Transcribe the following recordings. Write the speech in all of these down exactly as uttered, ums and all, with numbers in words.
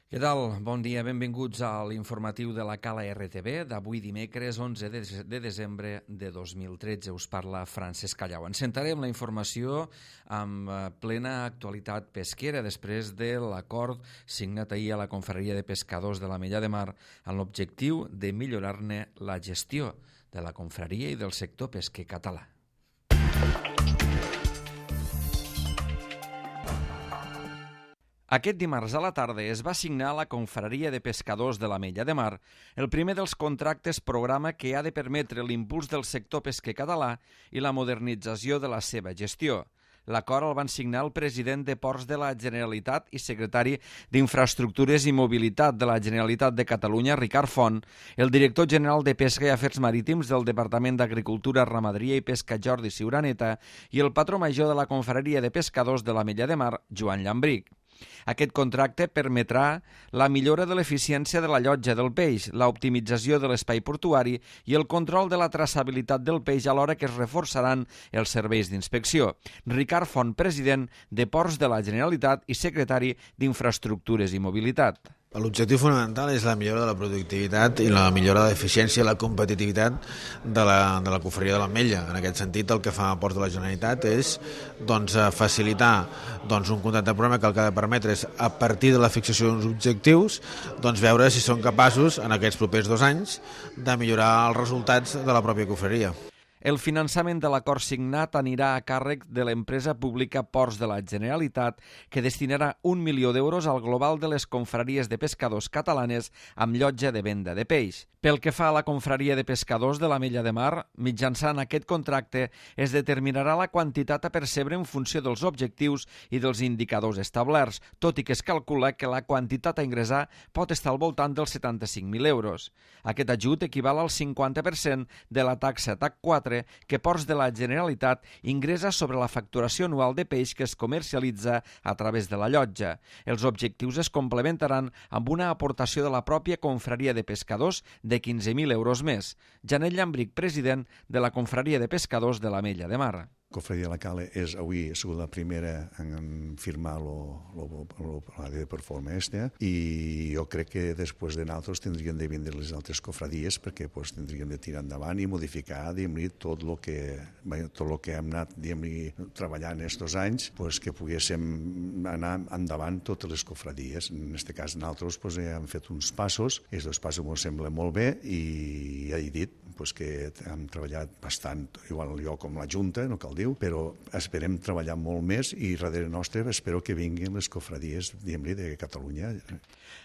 Què tal? Bon dia, benvinguts a l'informatiu de la Cala R T V d'avui dimecres onze de desembre de dos mil tretze. Us parla Francesc Callau. Encentarem la informació amb plena actualitat pesquera després de l'acord signat ahir a la Confraria de Pescadors de l'Ametlla de Mar amb l'objectiu de millorar-ne la gestió de la confraria i del sector pesquer català. Aquest dimarts a la tarda es va signar a la Confraria de Pescadors de l'Ametlla de Mar el primer dels contractes programa que ha de permetre l'impuls del sector pesquer català i la modernització de la seva gestió. L'acord el van signar el president de Ports de la Generalitat i secretari d'Infraestructures i Mobilitat de la Generalitat de Catalunya, Ricard Font, el director general de Pesca i Afers Marítims del Departament d'Agricultura, Ramaderia i Pesca, Jordi Ciuraneta, i el patró major de la Confraria de Pescadors de l'Ametlla de Mar, Joan Llambric. Aquest contracte permetrà la millora de l'eficiència de la llotja del peix, l'optimització de l'espai portuari i el control de la traçabilitat del peix alhora que es reforçaran els serveis d'inspecció. Ricard Font, president de Ports de la Generalitat i secretari d'Infraestructures i Mobilitat. L'objectiu fonamental és la millora de la productivitat i la millora de l'eficiència i la competitivitat de la, de la confraria de l'Ametlla. En aquest sentit, el que fa Ports de la Generalitat és doncs, facilitar doncs, un contracte programa que el que ha de permetre és, a partir de la fixació d'uns objectius, doncs, veure si són capaços, en aquests propers dos anys, de millorar els resultats de la pròpia confraria. El finançament de l'acord signat anirà a càrrec de l'empresa pública Ports de la Generalitat, que destinarà un milió d'euros al global de les confraries de pescadors catalanes amb llotja de venda de peix. Pel que fa a la confraria de pescadors de l'Ametlla de Mar, mitjançant aquest contracte es determinarà la quantitat a percebre en funció dels objectius i dels indicadors establerts, tot i que es calcula que la quantitat a ingressar pot estar al voltant dels setanta-cinc mil euros. Aquest ajut equival al cinquanta per cent de la taxa T A C quatre que Ports de la Generalitat ingressa sobre la facturació anual de peix que es comercialitza a través de la llotja. Els objectius es complementaran amb una aportació de la pròpia confraria de pescadors de quinze mil euros més. Janet Llambric, president de la Confraria de Pescadors de l'Ametlla de Mar. La Confraria de la Cala és avui ha sigut la primera en firmar la de performance esta, i jo crec que després de nosaltres tindrien de vindre les altres cofradies perquè pues, tindrien de tirar endavant i modificar tot el que, tot lo que hem anat treballant aquests anys, pues, que poguéssim anar endavant totes les cofradies. En aquest cas nosaltres pues, hem fet uns passos, aquests dos passos ens semblen molt bé i ja he dit pues, que hem treballat bastant, igual jo com la Junta, no cal dir, però esperem treballar molt més i darrere nostre espero que vinguin les cofradies de Catalunya.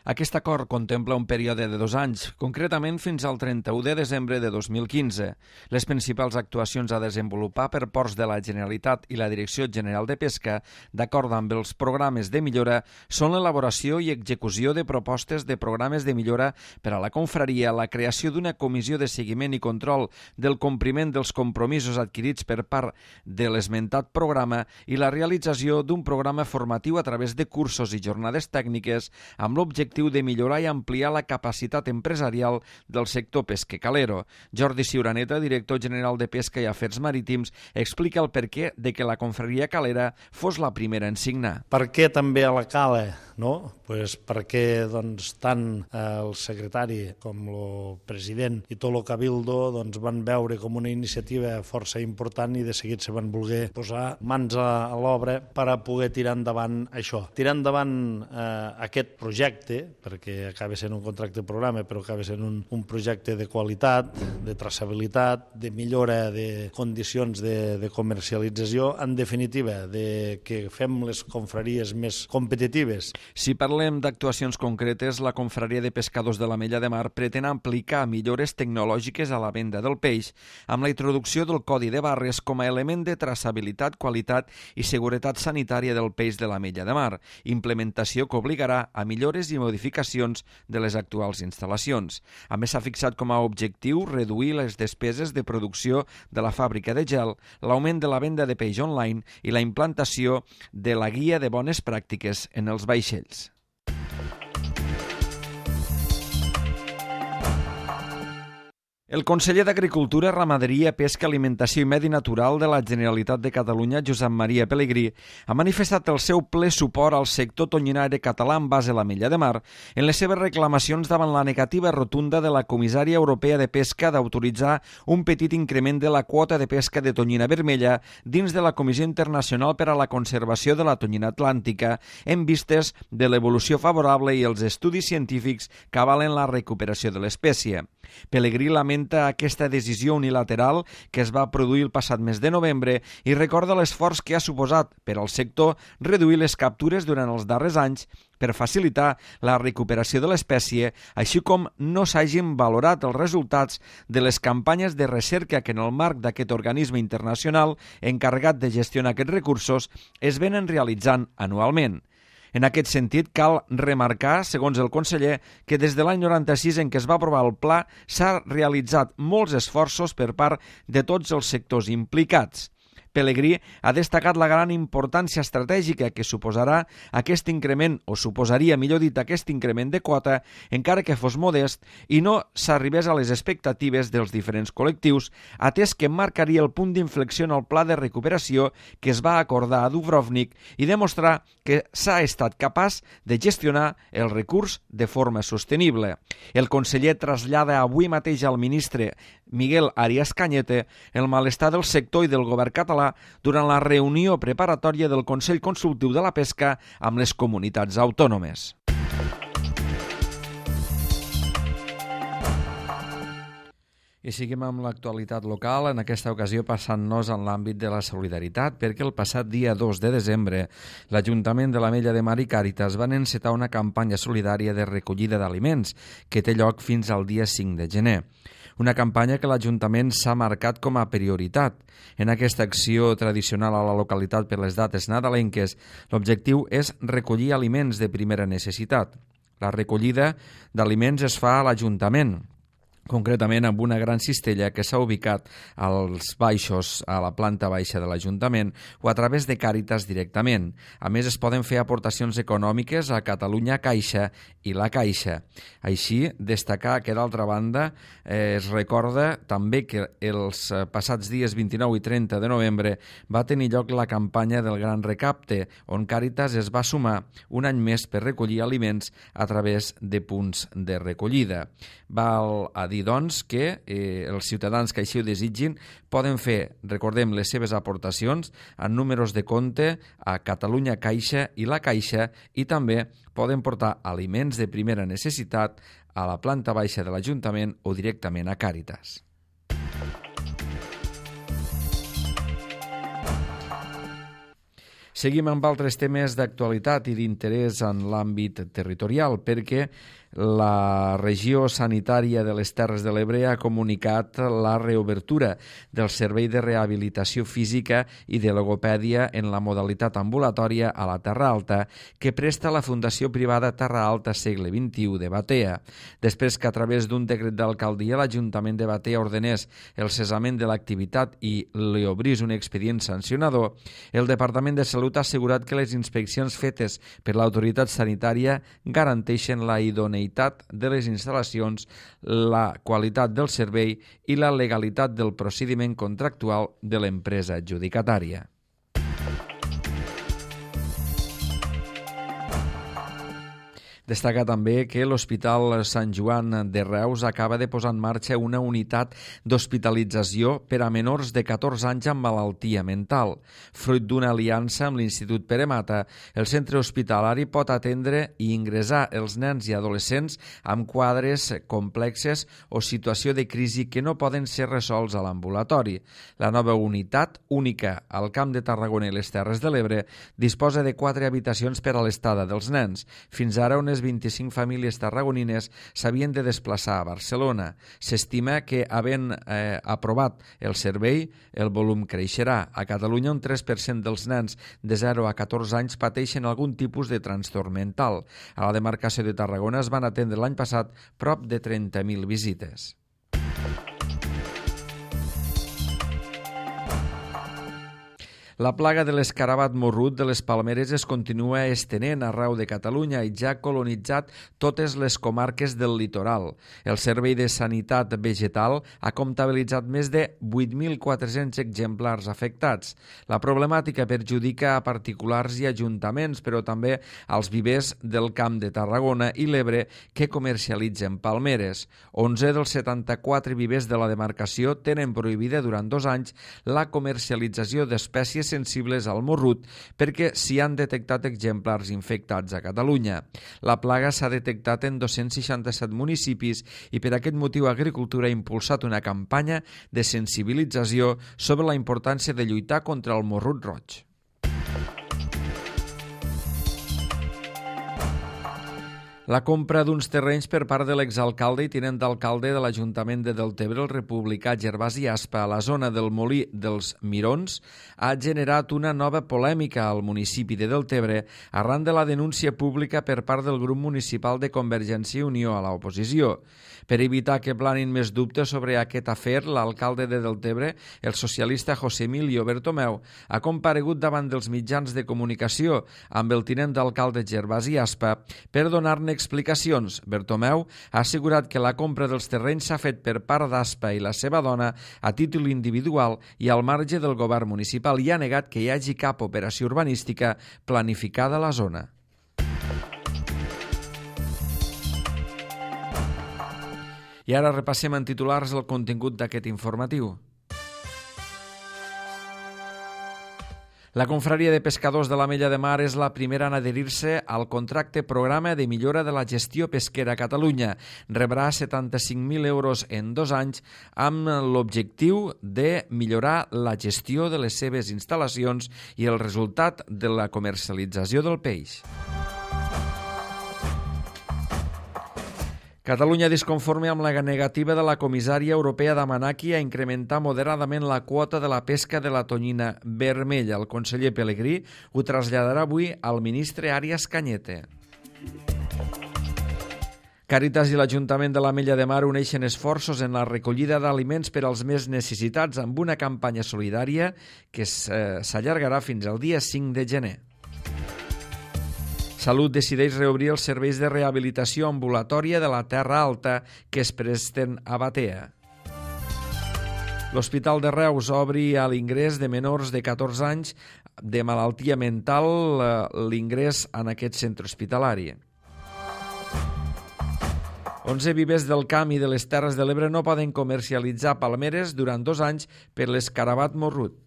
Aquest acord contempla un període de dos anys, concretament fins al trenta-u de desembre de dos mil quinze. Les principals actuacions a desenvolupar per Ports de la Generalitat i la Direcció General de Pesca, d'acord amb els programes de millora, són l'elaboració i execució de propostes de programes de millora per a la confraria, la creació d'una comissió de seguiment i control del compliment dels compromisos adquirits per part de l'esmentat programa i la realització d'un programa formatiu a través de cursos i jornades tècniques amb l'objectiu de millorar i ampliar la capacitat empresarial del sector pesquer calero. Jordi Ciuraneta, director general de Pesca i Afers Marítims, explica el perquè de que la confraria calera fos la primera en signar. Per què també a la Cala? No? Pues perquè doncs, tant el secretari com el president i tot el cabildo doncs, van veure com una iniciativa força important i de seguit se van voler posar mans a l'obra per a poder tirar endavant això. Tirar endavant eh, aquest projecte, perquè acaba sent un contracte programa, però acaba sent un, un projecte de qualitat, de traçabilitat, de millora de condicions de, de comercialització, en definitiva, de que fem les confraries més competitives. Si parlem d'actuacions concretes, la Confraria de Pescadors de l'Ametlla de Mar pretén aplicar millores tecnològiques a la venda del peix amb la introducció del codi de barres com a element de traçabilitat, qualitat i seguretat sanitària del peix de l'Ametlla de Mar, implementació que obligarà a millores i modificacions de les actuals instal·lacions. A més, s'ha fixat com a objectiu reduir les despeses de producció de la fàbrica de gel, l'augment de la venda de peix online i la implantació de la guia de bones pràctiques en els vaixells. El conseller d'Agricultura, Ramaderia, Pesca, Alimentació i Medi Natural de la Generalitat de Catalunya, Josep Maria Pelegrí, ha manifestat el seu ple suport al sector tonyinaire català en base a l'Ametlla de Mar en les seves reclamacions davant la negativa rotunda de la comissària europea de pesca d'autoritzar un petit increment de la quota de pesca de tonyina vermella dins de la Comissió Internacional per a la Conservació de la Tonyina Atlàntica en vistes de l'evolució favorable i els estudis científics que avalen la recuperació de l'espècie. Pelegrí lamenta aquesta decisió unilateral que es va produir el passat mes de novembre i recorda l'esforç que ha suposat per al sector reduir les captures durant els darrers anys per facilitar la recuperació de l'espècie, així com no s'hagin valorat els resultats de les campanyes de recerca que en el marc d'aquest organisme internacional encarregat de gestionar aquests recursos es venen realitzant anualment. En aquest sentit, cal remarcar, segons el conseller, que des de l'any noranta-sis en què es va aprovar el pla s'ha realitzat molts esforços per part de tots els sectors implicats. Pelegrí ha destacat la gran importància estratègica que suposarà aquest increment, o suposaria, millor dit, aquest increment de quota, encara que fos modest, i no s'arribés a les expectatives dels diferents col·lectius, atès que marcaria el punt d'inflexió en el pla de recuperació que es va acordar a Dubrovnik i demostrar que s'ha estat capaç de gestionar el recurs de forma sostenible. El conseller trasllada avui mateix al ministre Miguel Arias Cañete el malestar del sector i del govern català durant la reunió preparatòria del Consell Consultiu de la Pesca amb les comunitats autònomes. I seguim amb l'actualitat local, en aquesta ocasió passant-nos en l'àmbit de la solidaritat, perquè el passat dia dos de desembre l'Ajuntament de l'Ametlla de Mar i Càritas van encetar una campanya solidària de recollida d'aliments que té lloc fins al dia cinc de gener. Una campanya que l'Ajuntament s'ha marcat com a prioritat. En aquesta acció tradicional a la localitat per les dates nadalenques, l'objectiu és recollir aliments de primera necessitat. La recollida d'aliments es fa a l'Ajuntament, concretament amb una gran cistella que s'ha ubicat als baixos, a la planta baixa de l'Ajuntament o a través de Càritas directament. A més, es poden fer aportacions econòmiques a Catalunya Caixa i la Caixa. Així, destacar que, d'altra banda, eh, es recorda també que els passats dies vint-i-nou i trenta de novembre va tenir lloc la campanya del Gran Recapte, on Càritas es va sumar un any més per recollir aliments a través de punts de recollida. Val a dir, doncs, que eh, els ciutadans que així ho desitgin poden fer, recordem, les seves aportacions en números de compte a Catalunya Caixa i la Caixa i també poden portar aliments de primera necessitat a la planta baixa de l'Ajuntament o directament a Càritas. Seguim amb altres temes d'actualitat i d'interès en l'àmbit territorial, perquè la regió sanitària de les Terres de l'Ebre ha comunicat la reobertura del servei de rehabilitació física i de logopèdia en la modalitat ambulatòria a la Terra Alta que presta la Fundació Privada Terra Alta Segle vint-i-u de Batea. Després que a través d'un decret d'alcaldia l'Ajuntament de Batea ordenés el cessament de l'activitat i li obrís un expedient sancionador, el Departament de Salut ha assegurat que les inspeccions fetes per l'autoritat sanitària garanteixen la idoneïtat de les instal·lacions, la qualitat del servei i la legalitat del procediment contractual de l'empresa adjudicatària. Destaca també que l'Hospital Sant Joan de Reus acaba de posar en marxa una unitat d'hospitalització per a menors de catorze anys amb malaltia mental. Fruit d'una aliança amb l'Institut Pere Mata, el centre hospitalari pot atendre i ingressar els nens i adolescents amb quadres complexes o situació de crisi que no poden ser resolts a l'ambulatori. La nova unitat, única al Camp de Tarragona i les Terres de l'Ebre, disposa de quatre habitacions per a l'estada dels nens. Fins ara, unes vint-i-cinc famílies tarragonines s'havien de desplaçar a Barcelona. S'estima que, havent eh, aprovat el servei, el volum creixerà. A Catalunya, un tres per cent dels nens de zero a catorze anys pateixen algun tipus de trastorn mental. A la demarcació de Tarragona es van atendre l'any passat prop de trenta mil visites. La plaga de l'escarabat morrut de les palmeres es continua estenent arreu de Catalunya i ja ha colonitzat totes les comarques del litoral. El Servei de Sanitat Vegetal ha comptabilitzat més de vuit mil quatre-cents exemplars afectats. La problemàtica perjudica a particulars i ajuntaments, però també als vivers del Camp de Tarragona i l'Ebre que comercialitzen palmeres. onze dels setanta-quatre vivers de la demarcació tenen prohibida durant dos anys la comercialització d'espècies sensibles al morrut perquè s'hi han detectat exemplars infectats a Catalunya. La plaga s'ha detectat en dos-cents seixanta-set municipis i per aquest motiu Agricultura ha impulsat una campanya de sensibilització sobre la importància de lluitar contra el morrut roig. La compra d'uns terrenys per part de l'exalcalde i tinent d'alcalde de l'Ajuntament de Deltebre, el republicà Gervasi Aspa, a la zona del Molí dels Mirons, ha generat una nova polèmica al municipi de Deltebre arran de la denúncia pública per part del grup municipal de Convergència i Unió a l'oposició. Per evitar que planin més dubtes sobre aquest afer, l'alcalde de Deltebre, el socialista José Emilio Bertomeu, ha comparegut davant dels mitjans de comunicació amb el tinent d'alcalde Gervasi Aspa per donar-ne explicacions. Bertomeu ha assegurat que la compra dels terrenys s'ha fet per part d'Aspa i la seva dona a títol individual i al marge del govern municipal i ha negat que hi hagi cap operació urbanística planificada a la zona. I ara repassem en titulars el contingut d'aquest informatiu. La Confraria de Pescadors de l'Ametlla de Mar és la primera en adherir-se al contracte programa de millora de la gestió pesquera a Catalunya. Rebrà setanta-cinc mil euros en dos anys amb l'objectiu de millorar la gestió de les seves instal·lacions i el resultat de la comercialització del peix. Catalunya disconforme amb la negativa de la comissària europea d'Amanaki a incrementar moderadament la quota de la pesca de la tonyina vermella. El conseller Pelegrí ho traslladarà avui al ministre Arias Cañete. Càritas i l'Ajuntament de l'Ametlla de Mar uneixen esforços en la recollida d'aliments per als més necessitats amb una campanya solidària que s'allargarà fins al dia cinc de gener. Salut decideix reobrir els serveis de rehabilitació ambulatòria de la Terra Alta que es presten a Batea. L'Hospital de Reus obri a l'ingrés de menors de catorze anys de malaltia mental l'ingrés en aquest centre hospitalari. onze vivers del Camp i de les Terres de l'Ebre no poden comercialitzar palmeres durant dos anys per l'escarabat morrut.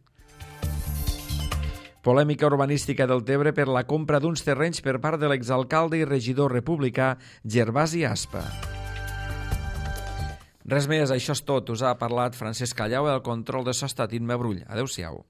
Polèmica urbanística del Tebre per la compra d'uns terrenys per part de l'exalcalde i regidor republicà Gervasi Aspa. Res més, això és tot. Us ha parlat Francesc Callau, el control de so ha estat Imma Brull. Adéu-siau.